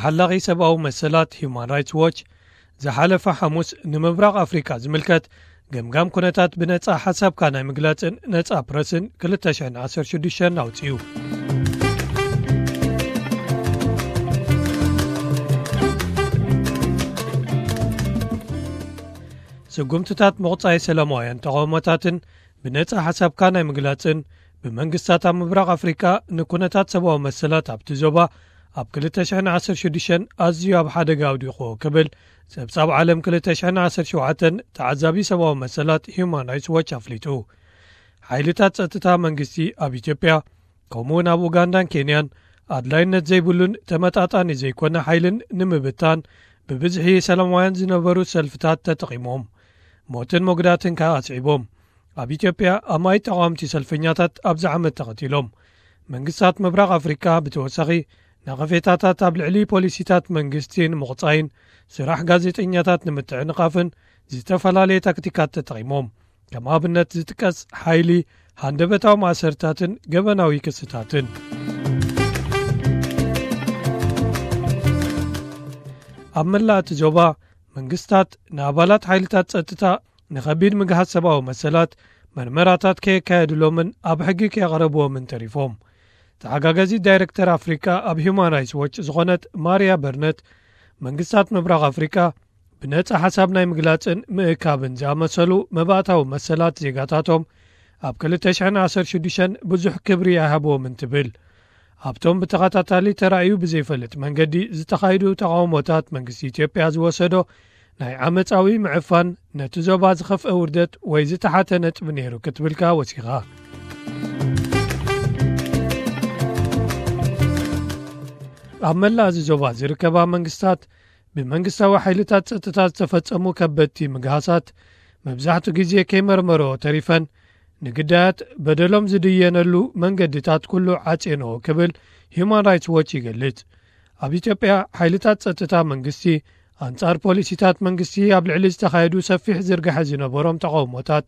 ሓላቒ ሰብኣዊ መሰላት ሂዩማን ራይትስ ዎች ዝሓለፈ ሓሙስ ንምብራቕ ኣፍሪቃ ዝምልከት ገምጋም ኩነታት ብነጻ ሓሳብካ ናይ ምግላጽን ነጻ ፕረስን ክልተ ሽሕን ዓሰርተ ሽዱሽተን ኣውጺኡ። ስጉምትታት ምቑጻይ ሰላማውያን ተቓውሞታትን ብነጻ ሓሳብካ ናይ ምግላጽን ብመንግስታት ኣብ ምብራቕ ኣፍሪቃ ንኩነታት ሰብኣዊ መሰላት ኣብቲ ዞባ ኣብ ክልተ ሽሕን ዓሰርተ ሽዱሽተን ኣዝዩ ኣብ ሓደጋ ኣውዲቑዎ ክብል ጸብጻብ ዓለም ክልተ ሽሕን ዓሰርተ ሸውዓተን ተዓዛቢ ሰብኣዊ መሰላት ሂዩማን ራይትስ ዎች ኣፍሊጡ። ሓይልታት ጸጥታ መንግስቲ ኣብ ኢትዮጵያ ከምኡውን ኣብ ኡጋንዳን ኬንያን ኣድላይነት ዘይብሉን ተመጣጣኒ ዘይኮነ ሓይልን ንምብታን ብብዝሒ ሰላማውያን ዝነበሩ ሰልፍታት ተጠቒሞም ሞትን መጉዳትን ከኣ ኣስዒቦም። ኣብ ኢትዮጵያ ኣማኢት ተቓወምቲ ሰልፈኛታት ኣብዚ ዓመት ተቐቲሎም። መንግስታት ምብራቕ ኣፍሪቃ ብተወሳኺ ነቐፌታታት ኣብ ልዕሊ ፖሊሲታት መንግስቲ ንምቑጻይን ስራሕ ጋዜጠኛታት ንምትዕንቓፍን ዝተፈላለየ ታክቲካት ተጠቒሞም። ከም ኣብነት ዝጥቀስ ሓይሊ ሃንደበታዊ ማእሰርታትን ገበናዊ ክስታትን። ኣብ መላእ እቲ ዞባ መንግስታት ንኣባላት ሓይልታት ጸጥታ ንኸቢድ ምግሃስ ሰብኣዊ መሰላት መርመራታት ከየካየድሎምን ኣብ ሕጊ ከየቕረብዎምን ተሪፎም። ተሓጋጋዚት ዳይረክተር ኣፍሪቃ ኣብ ሂዩማን ራይትስ ዎች ዝኾነት ማርያ በርነት መንግስታት ምብራቕ ኣፍሪቃ ብነጻ ሓሳብ ናይ ምግላጽን ምእካብን ዝኣመሰሉ መባእታዊ መሰላት ዜጋታቶም ኣብ ክልተ ሽሕን ዓሰርተ ሽዱሽተን ብዙሕ ክብሪ ኣይሃብዎምን ትብል። ኣብቶም ብተኸታታሊ ተራእዩ ብዘይፈልጥ መንገዲ ዝተኻይዱ ተቓውሞታት መንግስቲ ኢትዮጵያ ዝወሰዶ ናይ ዓመጻዊ ምዕፋን ነቲ ዞባ ዝኸፍአ ውርደት ወይ ዝተሓተ ነጥቢ ነይሩ ክትብል ከኣ ወሲኻ። ኣብ መላእ እዚ ዞባ ዝርከባ መንግስታት ብመንግስታዊ ሓይልታት ጸጥታ ዝተፈጸሙ ከበድቲ ምግሃሳት መብዛሕትኡ ግዜ ከይመርመሮ ተሪፈን ንግዳያት በደሎም ዝድየነሉ መንገድታት ኩሉ ዓጽየንኦ ክብል ሂዩማን ራይትስ ዎች ይገልጽ። ኣብ ኢትዮጵያ ሓይልታት ጸጥታ መንግስቲ ኣንጻር ፖሊሲታት መንግስቲ ኣብ ልዕሊ ዝተኻየዱ ሰፊሕ ዝርጋሐ ዝነበሮም ተቓውሞታት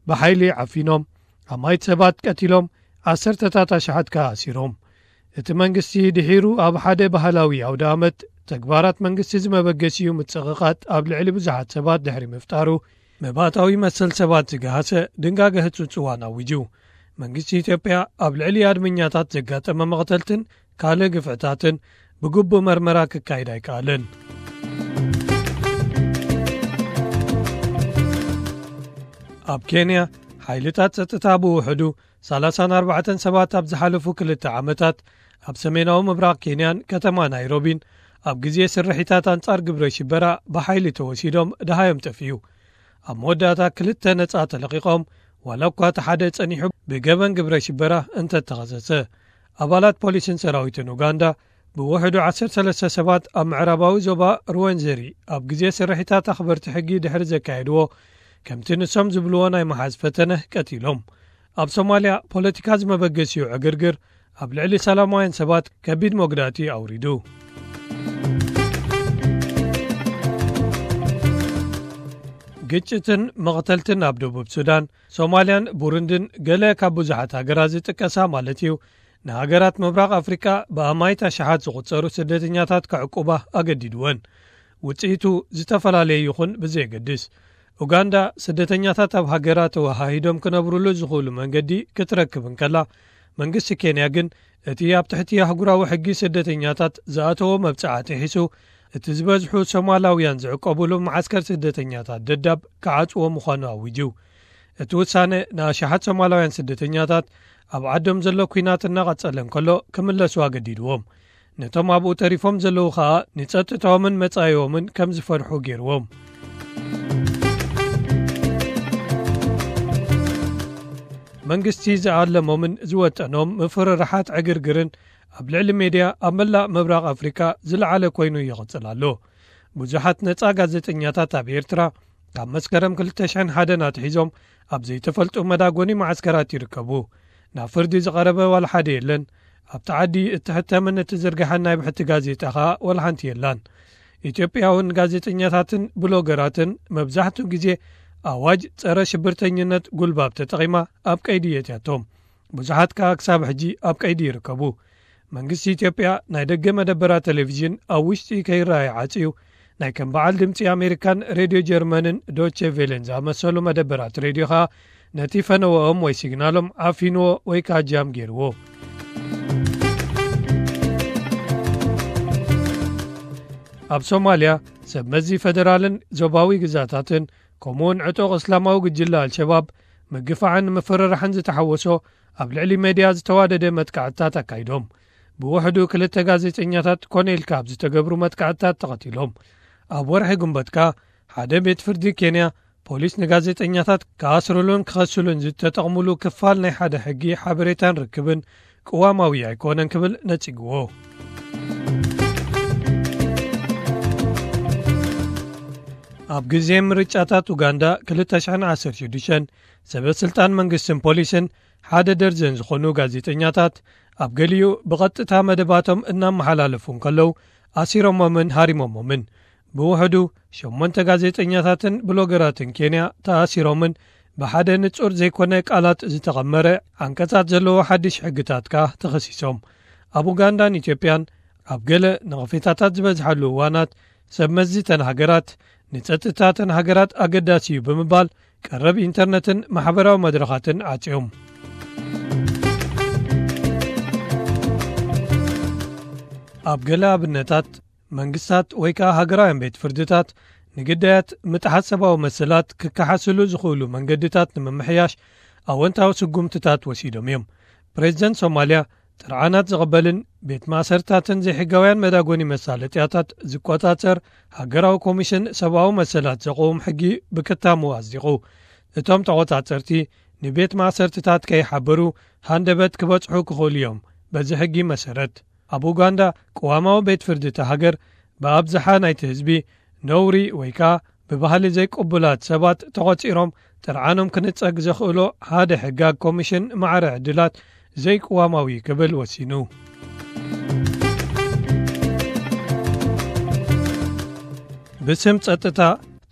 ብሓይሊ ዓፊኖም ኣማይት ሰባት ቀቲሎም ዓሰርተታት ኣሽሓት ከኣ ኣሲሮም። እቲ መንግስቲ ድሒሩ ኣብ ሓደ ባህላዊ ኣውደ ኣመት ተግባራት መንግስቲ ዝመበገሲኡ ምጽቕቓጥ ኣብ ልዕሊ ብዙሓት ሰባት ድሕሪ ምፍጣሩ መባእታዊ መሰል ሰባት ዝገሃሰ ድንጋገ ህጹጽ እዋን ኣዊጁ። መንግስቲ ኢትዮጵያ ኣብ ልዕሊ ኣድመኛታት ዘጋጠመ መቕተልትን ካልእ ግፍዕታትን ብግቡእ መርመራ ክካይድ ኣይከኣለን። ኣብ ኬንያ ሓይልታት ጸጥታ ብውሕዱ ሰላሳን ኣርባዕተን ሰባት ኣብ ዝሓለፉ ክልተ ዓመታት ኣብ ሰሜናዊ ምብራቕ ኬንያን ከተማ ናይሮቢን ኣብ ግዜ ስርሒታት ኣንጻር ግብረ ሽበራ ብሓይሊ ተወሲዶም ደሃዮም ጠፍኡ። ኣብ መወዳእታ ክልተ ነጻ ተለቒቖም ዋላ እኳ እቲ ሓደ ጸኒሑ ብገበን ግብረ ሽበራ እንተተኸሰሰ። ኣባላት ፖሊስን ሰራዊትን ኡጋንዳ ብውሕዱ ዓሰርተ ሰለስተ ሰባት ኣብ ምዕራባዊ ዞባ ሩወንዘሪ ኣብ ግዜ ስርሒታት ኣኽበርቲ ሕጊ ድሕሪ ዘካየድዎ ከምቲ ንሶም ዝብልዎ ናይ መሓዝ ፈተነ ቀቲሎም። ኣብ ሶማልያ ፖለቲካ ዝመበገሲኡ ዕግርግር ኣብ ልዕሊ ሰላማውያን ሰባት ከቢድ መጉዳእቲ ኣውሪዱ። ግጭትን መቕተልትን ኣብ ደቡብ ሱዳን፣ ሶማልያን ቡሩንድን ገለ ካብ ብዙሓት ሃገራት ዝጥቀሳ ማለት እዩ፣ ንሃገራት ምብራቕ ኣፍሪቃ ብኣማይት ኣሽሓት ዝቑጸሩ ስደተኛታት ከዕቁባ ኣገዲድወን። ውጽኢቱ ዝተፈላለየ ይኹን ብዘየገድስ፣ ኡጋንዳ ስደተኛታት ኣብ ሃገራ ተወሃሂዶም ክነብሩሉ ዝኽእሉ መንገዲ ክትረክብ እንከላ፣ መንግስቲ ኬንያ ግን እቲ ኣብ ትሕቲ ኣህጉራዊ ሕጊ ስደተኛታት ዝኣተዎ መብጽዓ ጥሒሱ፣ እቲ ዝበዝሑ ሶማላውያን ዝዕቆቡሉ መዓስከር ስደተኛታት ደዳብ ክዓጽዎ ምዃኑ ኣዊጁ። እቲ ውሳነ ንኣሽሓት ሶማላውያን ስደተኛታት ኣብ ዓዶም ዘሎ ኲናት እናቐጸለ እንከሎ ክምለሱ ኣገዲድዎም። ነቶም ኣብኡ ተሪፎም ዘለዉ ኸኣ ንጸጥታኦምን መጻኢኦምን ከም ዝፈርሑ ገይርዎም። መንግስቲ ዝኣለሞምን ዝወጠኖም ምፍርራሓት ዕግርግርን ኣብ ልዕሊ ሜድያ ኣብ መላእ ምብራቕ ኣፍሪቃ ዝለዓለ ኮይኑ ይቕጽል ኣሎ። ብዙሓት ነጻ ጋዜጠኛታት ኣብ ኤርትራ ካብ መስከረም ክልተ ሽሕን ሓደን ኣትሒዞም ኣብ ዘይተፈልጡ መዳጎኒ መዓስከራት ይርከቡ። ናብ ፍርዲ ዝቐረበ ዋላ ሓደ የለን። ኣብቲ ዓዲ እትሕተምን እትዝርግሐን ናይ ብሕቲ ጋዜጣ ኸኣ ዋላ ሓንቲ የላን። ኢትዮጵያውን ጋዜጠኛታትን ብሎገራትን መብዛሕትኡ ግዜ ኣዋጅ ጸረ ሽብርተኝነት ጉልባብ ተጠቒማ ኣብ ቀይዲ የእትያቶም። ብዙሓት ከኣ ክሳብ ሕጂ ኣብ ቀይዲ ይርከቡ። መንግስቲ ኢትዮጵያ ናይ ደገ መደበራት ቴሌቪዥን ኣብ ውሽጢ ከይረኣየ ዓጽዩ፣ ናይ ከም በዓል ድምጺ ኣሜሪካን ሬድዮ ጀርመንን ዶቼ ቬለን ዝኣመሰሉ መደበራት ሬድዮ ኸኣ ነቲ ፈነወኦም ወይ ሲግናሎም ዓፊንዎ ወይ ከዓ ጃም ገይርዎ። ኣብ ሶማልያ፣ ሰብ መዚ ፈደራልን ዞባዊ ግዛታትን፣ ከምኡውን ዕጡቕ እስላማዊ ጉጅለ ኣልሸባብ ምግፋዕን ምፍርራሕን ዝተሓወሶ ኣብ ልዕሊ ሜድያ ዝተዋደደ መጥቃዕትታት ኣካይዶም። ብውሕዱ ክልተ ጋዜጠኛታት ኮነ ኢልካ ኣብ ዝተገብሩ መጥቃዕትታት ተቐቲሎም። ኣብ ወርሒ ግንቦት ከኣ ሓደ ቤት ፍርዲ ኬንያ ፖሊስ ንጋዜጠኛታት ክኣስርሉን ክኸስሉን ዝተጠቕምሉ ክፋል ናይ ሓደ ሕጊ ሓበሬታን ርክብን ቅዋማዊ ኣይኮነን ክብል ነጺግዎ። ኣብ ግዜ ምርጫታት ኡጋንዳ ክልተ ሽሕን ዓሰርተ ሽዱሽተን ሰበ ስልጣን መንግስትን ፖሊስን ሓደ ደርዘን ዝኾኑ ጋዜጠኛታት ኣብ ገሊኡ ብቐጥታ መደባቶም እናመሓላለፉ እንከለዉ ኣሲሮሞምን ሃሪሞሞምን። ብውሕዱ ሸሞንተ ጋዜጠኛታትን ብሎገራትን ኬንያ ተኣሲሮምን ብሓደ ንጹር ዘይኮነ ቃላት ዝተቐመረ ዓንቀጻት ዘለዎ ሓድሽ ሕግታት ከኣ ተኸሲሶም። ኣብ ኡጋንዳን ኢትዮጵያን ኣብ ገለ ነቐፌታታት ዝበዝሓሉ እዋናት ሰብ መዚ እተን ሃገራት ንጸጥታ እተን ሃገራት ኣገዳሲ እዩ ብምባል ቀረብ ኢንተርነትን ማሕበራዊ መድረኻትን ዓጽዮም። ኣብ ገለ ኣብነታት መንግስታት ወይ ከኣ ሃገራውያን ቤት ፍርድታት ንግዳያት ምጥሓስ ሰብኣዊ መሰላት ክከሓስሉ ዝኽእሉ መንገድታት ንምምሕያሽ ኣወንታዊ ስጉምትታት ወሲዶም እዮም። ፕሬዚደንት ሶማልያ ጥርዓናት ዝቕበልን ቤት ማእሰርታትን ዘይሕጋውያን መዳጎኒ መሳለጥያታት ዝቆጻጸር ሃገራዊ ኮሚሽን ሰብኣዊ መሰላት ዘቕውም ሕጊ ብክታሙ ኣጽዲቑ። እቶም ተቖጻጸርቲ ንቤት ማእሰርትታት ከይሓበሩ ሃንደበት ክበጽሑ ክኽእሉ እዮም። በዚ ሕጊ መሰረት ኣብ ኡጋንዳ ቅዋማዊ ቤት ፍርዲ እታ ሃገር ብኣብዝሓ ናይቲ ህዝቢ ነውሪ ወይ ከኣ ብባህሊ ዘይቅቡላት ሰባት ተቖጺሮም ጥርዓኖም ክንጸግ ዘኽእሎ ሓደ ሕጋግ ኮሚሽን ማዕረ ዕድላት ዘይቅዋማዊ ክብል ወሲኑ። ብስም ጸጥታ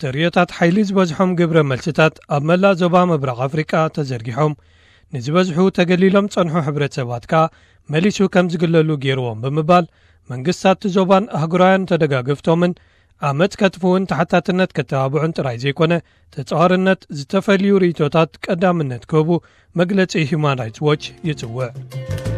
ተርእዮታት ሓይሊ ዝበዝሖም ግብረ መልስታት ኣብ መላእ ዞባ ምብራቕ ኣፍሪቃ ተዘርጊሖም ንዝበዝሑ ተገሊሎም ጸንሑ ሕብረተሰባት ከኣ መሊሱ ከም ዝግለሉ ገይርዎም ብምባል መንግስታት ዞባን ኣህጉራውያን ተደጋገፍቶምን ዓመጽ ከጥፍኡን ተሓታትነት ከተባብዑን ጥራይ ዘይኮነ ተጻዋርነት ዝተፈልዩ ርእይቶታት ቀዳምነት ክህቡ መግለጺ ሂዩማን ራይትስ ዎች ይጽውዕ።